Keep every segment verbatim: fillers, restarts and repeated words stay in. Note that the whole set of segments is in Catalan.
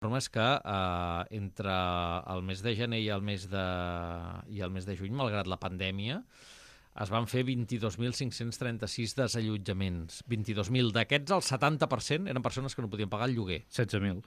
informe és que eh, entre el mes de gener i el mes de, i el mes de juny, malgrat la pandèmia, es van fer vint-i-dos mil cinc-cents trenta-sis desallotjaments. vint-i-dos mil. D'aquests, el setanta per cent eren persones que no podien pagar el lloguer. setze mil.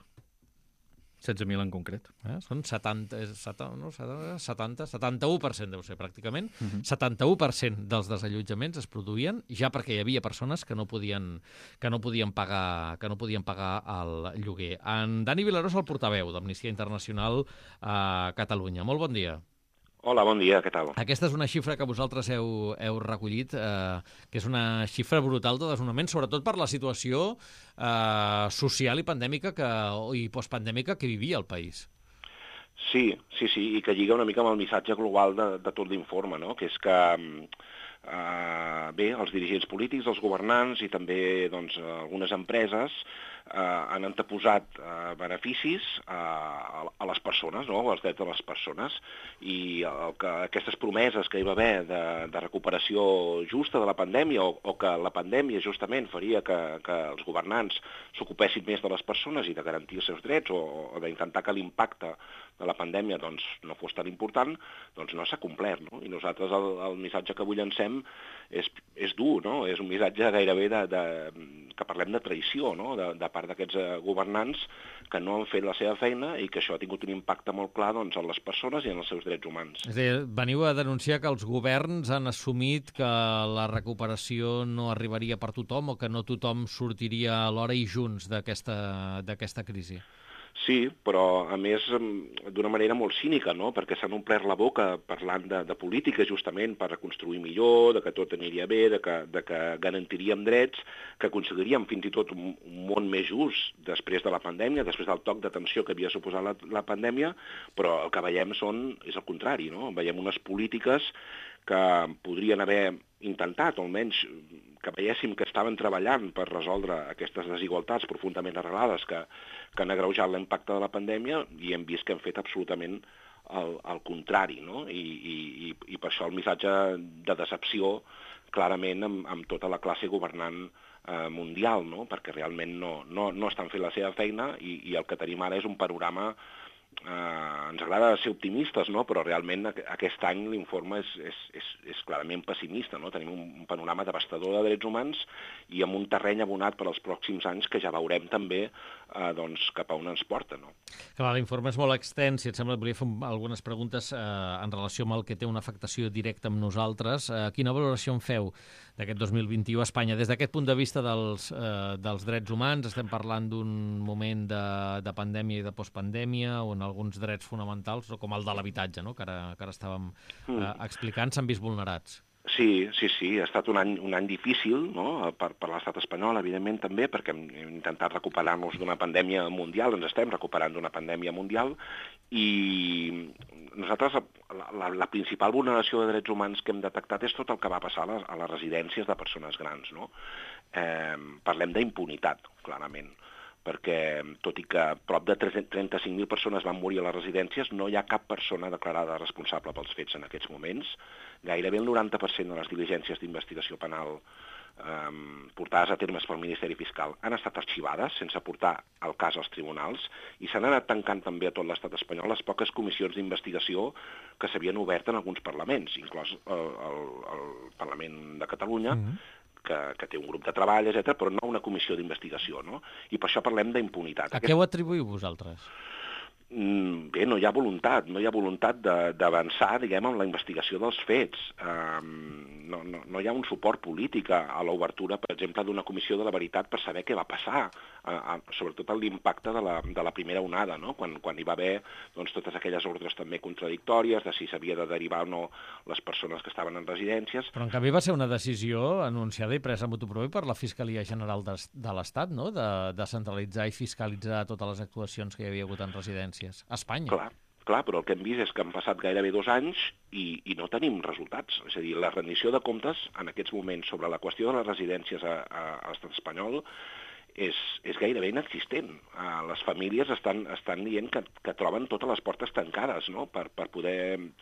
setze mil en concret. Eh? Són setanta, setanta, no, setanta, setanta-u per cent deu ser, pràcticament. Uh -huh. setanta-u per cent dels desallotjaments es produïen ja perquè hi havia persones que no podien, que no podien, pagar, que no podien pagar el lloguer. En Dani Vilaró és el portaveu d'Amnistia Internacional a Catalunya. Molt bon dia. Hola, bon dia, què tal? Aquesta és una xifra que vosaltres heu, heu recollit, eh, que és una xifra brutal de desnonaments, sobretot per la situació eh, social i pandèmica que, i postpandèmica que vivia el país. Sí, sí, sí, i que lliga una mica amb el missatge global de, de tot l'informe, no? Que és que, eh, bé, els dirigents polítics, els governants i també doncs, algunes empreses eh, han anteposat eh, beneficis a, a les persones, no? als drets de les persones, i el que, aquestes promeses que hi va haver de, de recuperació justa de la pandèmia o, o que la pandèmia justament faria que, que els governants s'ocupessin més de les persones i de garantir els seus drets o, o d'intentar que l'impacte de la pandèmia doncs, no fos tan important, doncs no s'ha complert. No? I nosaltres el, el missatge que avui llancem és, és dur, no? És un missatge gairebé de, de, que parlem de traïció, no? de, de part d'aquests eh, governants que no han fet la seva feina i que això ha tingut un impacte molt clar doncs, en les persones i en els seus drets humans. És a dir, veniu a denunciar que els governs han assumit que la recuperació no arribaria per tothom o que no tothom sortiria alhora i junts d'aquesta d'aquesta crisi. Sí, però a més d'una manera molt cínica, no? Perquè s'han omplert la boca parlant de, de política justament per reconstruir millor, de que tot aniria bé, de que, de que garantiríem drets, que aconseguiríem fins i tot un, un món més just després de la pandèmia, després del toc d'atenció que havia suposat la, la pandèmia, però el que veiem són, és el contrari, no? Veiem unes polítiques que podrien haver intentat, o almenys que veiéssim que estaven treballant per resoldre aquestes desigualtats profundament arrelades que, que han agreujat l'impacte de la pandèmia i hem vist que han fet absolutament el, el contrari, no? I, i, i per això el missatge de decepció clarament amb, amb tota la classe governant eh, mundial, no? Perquè realment no, no, no estan fent la seva feina i, i el que tenim ara és un panorama. Uh, ens agrada ser optimistes, no? Però realment aquest any l'informe és, és, és, és clarament pessimista, no? Tenim un, un panorama devastador de drets humans i amb un terreny abonat per als pròxims anys que ja veurem també uh, doncs, cap a on ens porta, no? Clar, l'informe és molt extens, si et sembla, et volia fer algunes preguntes eh, en relació amb el que té una afectació directa amb nosaltres. Eh, quina valoració en feu d'aquest dos mil vint-i-u a Espanya? Des d'aquest punt de vista dels, eh, dels drets humans, estem parlant d'un moment de, de pandèmia i de postpandèmia, on alguns drets fonamentals, com el de l'habitatge, no? que, ara, que ara estàvem eh, explicant, s'han vist vulnerats. Sí, sí, sí, ha estat un any, un any difícil, no? per, per l'estat espanyol, evidentment també, perquè hem intentat recuperar-nos d'una pandèmia mundial, ens estem recuperant d'una pandèmia mundial, i nosaltres la, la, la principal vulneració de drets humans que hem detectat és tot el que va passar a les, a les residències de persones grans. No? Eh, parlem d'impunitat, clarament, perquè tot i que prop de trenta-cinc mil persones van morir a les residències, no hi ha cap persona declarada responsable pels fets en aquests moments. Gairebé el noranta per cent de les diligències d'investigació penal eh, portades a termes pel Ministeri Fiscal han estat arxivades sense portar el cas als tribunals i s'han anat tancant també a tot l'estat espanyol les poques comissions d'investigació que s'havien obert en alguns parlaments, inclòs el, el, el Parlament de Catalunya, mm-hmm. Que, que té un grup de treball, etcètera, però no una comissió d'investigació, no? I per això parlem d'impunitat. A Aquest... què ho atribuïu vosaltres? Bé, no hi ha voluntat, no hi ha voluntat d'avançar, diguem, en la investigació dels fets. Um, no, no, no hi ha un suport polític a, a l'obertura, per exemple, d'una comissió de la veritat per saber què va passar, a, a, sobretot l'impacte de, la, de la primera onada, no? quan, quan hi va haver doncs, totes aquelles ordres també contradictòries de si s'havia de derivar o no les persones que estaven en residències. Però en canvi va ser una decisió anunciada i presa motu proprio per la Fiscalia General de, de l'Estat, no? de, de centralitzar i fiscalitzar totes les actuacions que hi havia hagut en residències. A Espanya. Clar, clar, però el que hem vist és que han passat gairebé dos anys i, i no tenim resultats. És a dir, la rendició de comptes en aquests moments sobre la qüestió de les residències a, a, a l'estat espanyol és, és gairebé inexistent. Uh, les famílies estan, estan dient que, que troben totes les portes tancades, no? per, per poder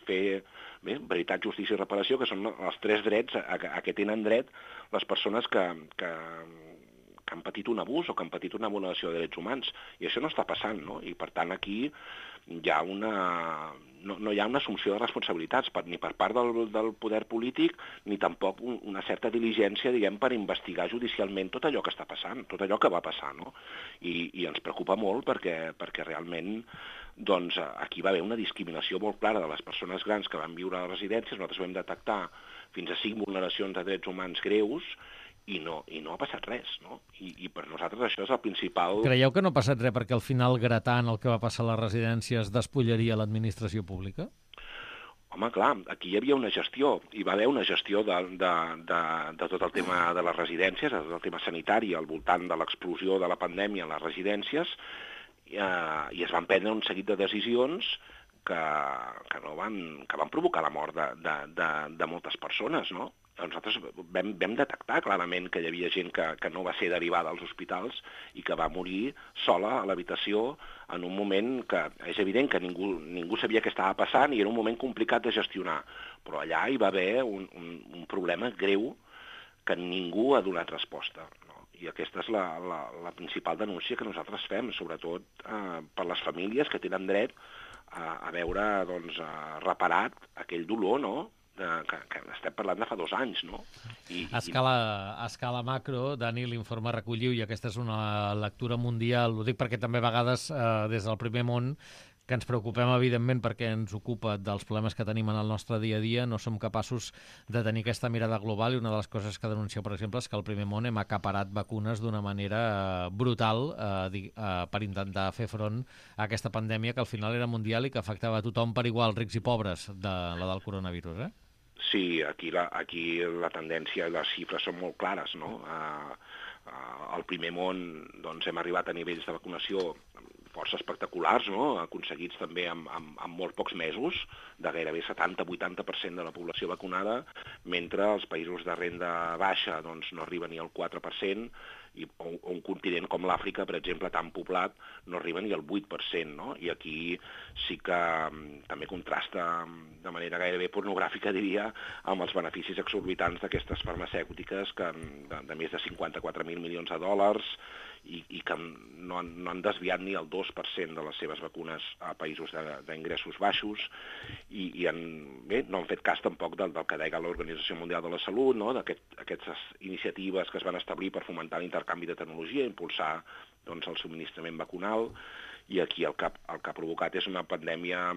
fer bé, veritat, justícia i reparació, que són els tres drets a, a, a què tenen dret les persones que... que que que han patit un abús o que han patit una vulneració de drets humans, i això no està passant, no? I per tant aquí hi ha una... No, no hi ha una assumpció de responsabilitats per, ni per part del, del poder polític ni tampoc un, una certa diligència, diguem, per investigar judicialment tot allò que està passant, tot allò que va passar, no? I, i ens preocupa molt perquè, perquè realment doncs, aquí va haver una discriminació molt clara de les persones grans que van viure a les residències. Nosaltres vam detectar fins a cinc vulneracions de drets humans greus i no, i no ha passat res, no? I, I per nosaltres això és el principal... Creieu que no ha passat res perquè al final, gratant el que va passar a les residències, despullaria l'administració pública? Home, clar, aquí hi havia una gestió, hi va haver una gestió de, de, de, de tot el tema de les residències, de tot el tema sanitari al voltant de l'explosió de la pandèmia a les residències, eh, i es van prendre un seguit de decisions que, que, no van, que van provocar la mort de, de, de, de moltes persones, no? Nosaltres vam, vam detectar clarament que hi havia gent que, que no va ser derivada als hospitals i que va morir sola a l'habitació en un moment que és evident que ningú, ningú sabia què estava passant i era un moment complicat de gestionar, però allà hi va haver un, un, un problema greu que ningú ha donat resposta, no? I aquesta és la, la, la principal denúncia que nosaltres fem, sobretot eh, per les famílies que tenen dret a, a veure doncs, a reparat aquell dolor, no?, De, que, que estem parlant de fa dos anys, no? I, a, escala, a escala macro, Dani, l'informe recolliu, i aquesta és una lectura mundial, ho dic perquè també a vegades eh, des del primer món, que ens preocupem evidentment perquè ens ocupa dels problemes que tenim en el nostre dia a dia, no som capaços de tenir aquesta mirada global, i una de les coses que denuncieu, per exemple, és que al primer món hem acaparat vacunes d'una manera eh, brutal eh, eh, per intentar fer front a aquesta pandèmia que al final era mundial i que afectava a tothom per igual, rics i pobres, de la del coronavirus, eh? Sí, aquí la, aquí la tendència i les xifres són molt clares, no? Uh, uh, al primer món doncs, hem arribat a nivells de vacunació força espectaculars, no? Aconseguits també amb, amb, amb molt pocs mesos, de gairebé setanta a vuitanta per cent de la població vacunada, mentre els països de renda baixa doncs, no arriben ni al quatre per cent, i un, un continent com l'Àfrica, per exemple, tan poblat, no arriba ni al vuit per cent, no? I aquí sí que um, també contrasta de manera gairebé pornogràfica, diria, amb els beneficis exorbitants d'aquestes farmacèutiques que, de, de més de cinquanta-quatre mil milions de dòlars, i, i que no han, no han desviat ni el dos per cent de les seves vacunes a països d'ingressos baixos, i, i han, bé, no han fet cas tampoc del, del que deia l'Organització Mundial de la Salut, no? D'aquestes iniciatives que es van establir per fomentar l'intercanvi de tecnologia, impulsar doncs, el subministrament vacunal, i aquí el que, el que ha provocat és una pandèmia,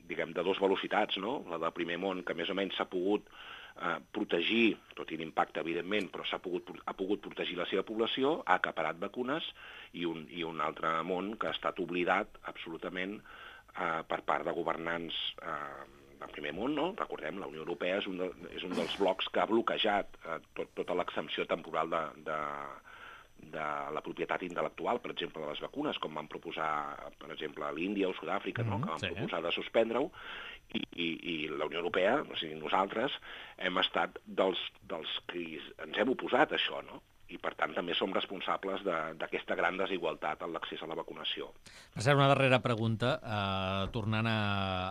diguem, de dues velocitats, no? La del primer món, que més o menys s'ha pogut eh, protegir, tot i l'impacte, evidentment, però s'ha pogut, ha pogut protegir la seva població, ha acaparat vacunes, i un, i un altre món que ha estat oblidat absolutament eh, per part de governants eh, del primer món, no? Recordem, la Unió Europea és un, de, és un dels blocs que ha bloquejat eh, tot, tota l'exempció temporal de, de de la propietat intel·lectual, per exemple, de les vacunes, com van proposar, per exemple, a l'Índia o Sud-àfrica, no? Que van sí. proposar de suspendre-ho, i, i, i la Unió Europea, o sigui, nosaltres, hem estat dels, dels que ens hem oposat a això, no? I, per tant, també som responsables d'aquesta gran desigualtat en l'accés a la vacunació. Per cert, una darrera pregunta. Eh, tornant a,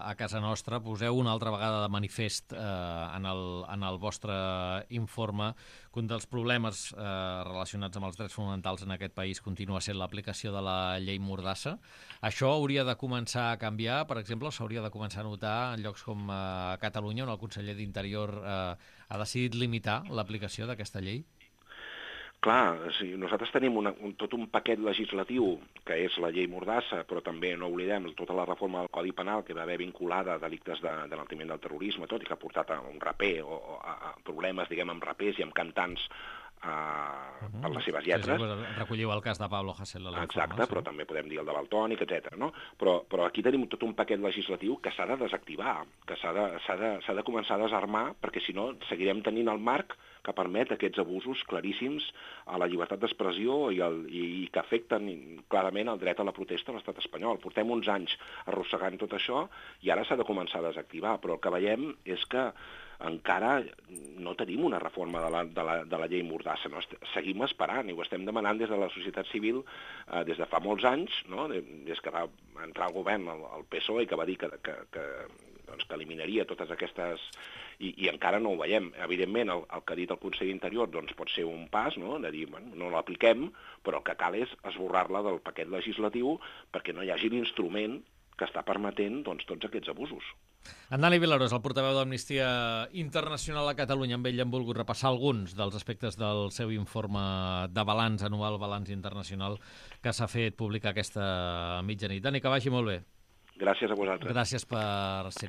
a casa nostra, poseu una altra vegada de manifest eh, en, el, en el vostre informe que un dels problemes eh, relacionats amb els drets fonamentals en aquest país continua sent l'aplicació de la llei Mordassa. Això hauria de començar a canviar, per exemple, s'hauria de començar a notar en llocs com eh, Catalunya, on el conseller d'Interior eh, ha decidit limitar l'aplicació d'aquesta llei? Clar, sí, nosaltres tenim una, un, tot un paquet legislatiu que és la llei Mordassa, però també no oblidem tota la reforma del Codi Penal que va haver vinculada a delictes de, de l'enaltiment del terrorisme, tot i que ha portat a un raper o, o a, a problemes, diguem, amb rapers i amb cantants uh, uh-huh. per les seves lletres. Sí, sí, recolliu el cas de Pablo Hasél. Exacte, sí. Però també podem dir el de Valtònic, etcètera. No? Però, però aquí tenim tot un paquet legislatiu que s'ha de desactivar, que s'ha de, s'ha de, s'ha de començar a desarmar, perquè si no seguirem tenint el marc que permet aquests abusos claríssims a la llibertat d'expressió i, el, i, i que afecten clarament el dret a la protesta a l'estat espanyol. Portem uns anys arrossegant tot això i ara s'ha de començar a desactivar, però el que veiem és que encara no tenim una reforma de la, de la, de la llei Mordassa, no? Seguim esperant i ho estem demanant des de la societat civil eh, des de fa molts anys, no? Des que va entrar al govern el, el P S O E i que va dir que, que, que doncs, que eliminaria totes aquestes... I, i encara no ho veiem. Evidentment, el, el que ha dit el conseller d'Interior doncs, pot ser un pas, no?, de dir, bueno, no l'apliquem, però el que cal és esborrar-la del paquet legislatiu perquè no hi hagi l'instrument que està permetent doncs, tots aquests abusos. En Dani Vilarós, el portaveu d'Amnistia Internacional a Catalunya, amb ell hem volgut repassar alguns dels aspectes del seu informe de balanç anual, balanç internacional, que s'ha fet publicar aquesta mitjanit. Dani, que vagi molt bé. Gràcies a vosaltres. Gràcies per ser-hi.